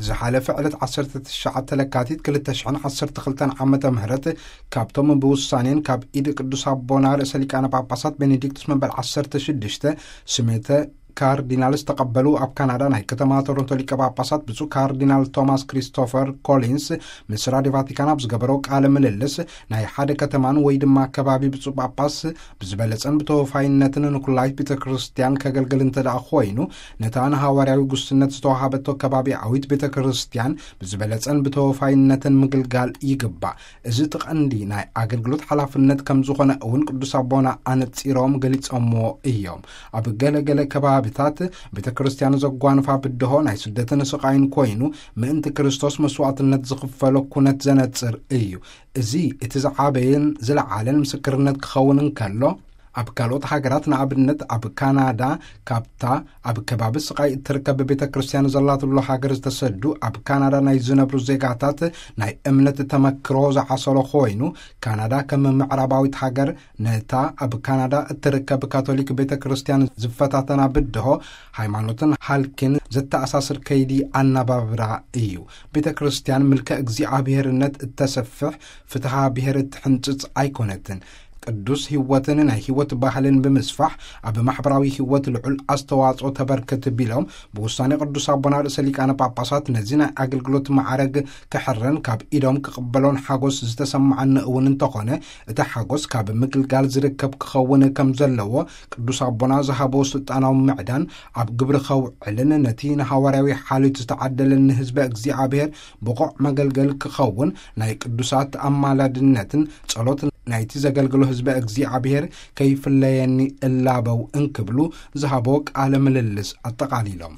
ዝሓለፈ ዕለት ዓሰርተ ትሽዓተ ለካቲት ክልተ ሽሕን ዓሰርተ ክልተን ዓመተ ምህረት፣ ካብቶም ብውሳኔን ካብ ኢድ ቅዱስ ኣቦና ርእሰ ሊቃነ ጳጳሳት ቤኔዲክቱስ መበል ዓሰርተ ሽዱሽተ ስሜተ ካርዲናል ዝተቐበሉ ኣብ ካናዳ ናይ ከተማ ቶሮንቶ ሊቀ ጳጳሳት ብፁዕ ካርዲናል ቶማስ ክሪስቶፈር ኮሊንስ ምስ ራዲዮ ቫቲካን ኣብ ዝገበሮ ቃለ ምልልስ፣ ናይ ሓደ ከተማን ወይ ድማ ከባቢ ብፁዕ ጳጳስ ብዝበለጸን ብተወፋይነትን ንኩላይት ቤተ ክርስቲያን ከገልግል እንተ ደኣ ኮይኑ፣ ነታ ንሃዋርያዊ ጉስነት ዝተዋሃበቶ ከባቢያዊት ቤተ ክርስቲያን ብዝበለጸን ብተወፋይነትን ምግልጋል ይግባእ። እዚ እቲ ቀንዲ ናይ ኣገልግሎት ሓላፍነት ከም ዝኾነ እውን ቅዱስ ኣቦና ኣነጺሮም ገሊጾምዎ እዮም። ኣብ ገለ ገለ ከባብታት ቤተ ክርስቲያን ዘጓንፋ ብድሆ ናይ ስደትን ስቓይን ኮይኑ፣ ምእንቲ ክርስቶስ መስዋዕትነት ዝኽፈሎ ኩነት ዘነጽር እዩ። እዚ እቲ ዝዓበየን ዝለዓለን ምስክርነት ክኸውን እንከሎ፣ ኣብ ካልኦት ሃገራት፣ ንኣብነት ኣብ ካናዳ፣ ካብታ ኣብ ከባቢ ስቓይ እትርከብ ቤተ ክርስቲያን ዘላትሉ ሃገር ዝተሰዱ ኣብ ካናዳ ናይ ዝነብሩ ዜጋታት ናይ እምነት ተመክሮ ዝዓሰሎ ኮይኑ፣ ካናዳ ከም ምዕራባዊት ሃገር ነታ ኣብ ካናዳ እትርከብ ካቶሊክ ቤተ ክርስቲያን ዝፈታተና ብድሆ፣ ሃይማኖትን ሃልኪን ዘተኣሳስር ከይዲ ኣነባብራ እዩ። ቤተ ክርስቲያን ምልከ እግዚኣብሔርነት እተሰፍሕ፣ ፍትሓ ብሔር እትሕንጽጽ ኣይኮነትን። ቅዱስ ህይወትን ናይ ህይወት ባህልን ብምስፋሕ ኣብ ማሕበራዊ ህይወት ልዑል ኣስተዋጽኦ ተበርክት ቢሎም፣ ብውሳኔ ቅዱስ ኣቦና ርእሰ ሊቃነ ጳጳሳት ነዚ ናይ ኣገልግሎት ማዕረግ ክሕረን ካብ ኢዶም ክቕበሎን ሓጎስ ዝተሰማዓኒ እውን እንተኾነ፣ እቲ ሓጎስ ካብ ምግልጋል ዝርከብ ክኸውን ከም ዘለዎ ቅዱስ ኣቦና ዝሃቦ ስልጣናዊ ምዕዳን ኣብ ግብሪ ከውዕልን ነቲ ንሃዋርያዊ ሓልዮት ዝተዓደለኒ ህዝበ እግዚኣብሔር ብቑዕ መገልገል ክኸውን ናይ ቅዱሳት ኣማላድነትን ጸሎት ናይቲ ዘገልግሎ ህዝበ እግዚኣብሔር ከይፍለየኒ እላበው እንክብሉ ዝሃቦ ቃለ ምልልስ ኣጠቓሊሎም።